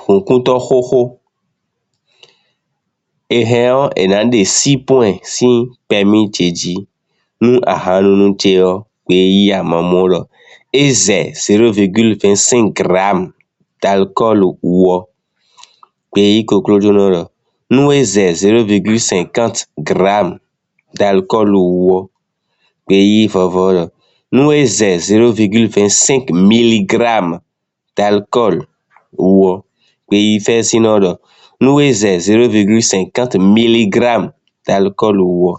hunkuntɔ xoxo. Ehɛn enande 6.5 permis dzedzi nu ahanunu tseɔ kpe yi amamorɔ. Eze 0,25 grammes d'alcool wɔ kpe yi koklodzonɔrɔ. Nu eze 0,50 grammes d'alcool wɔ kpe yi vɔvɔrɔ. Nu eze 0,25 mg d'alcool wɔ kpe yi fɛsinɔrɔ. Nu eze 0,50 mg d'alcool wɔ.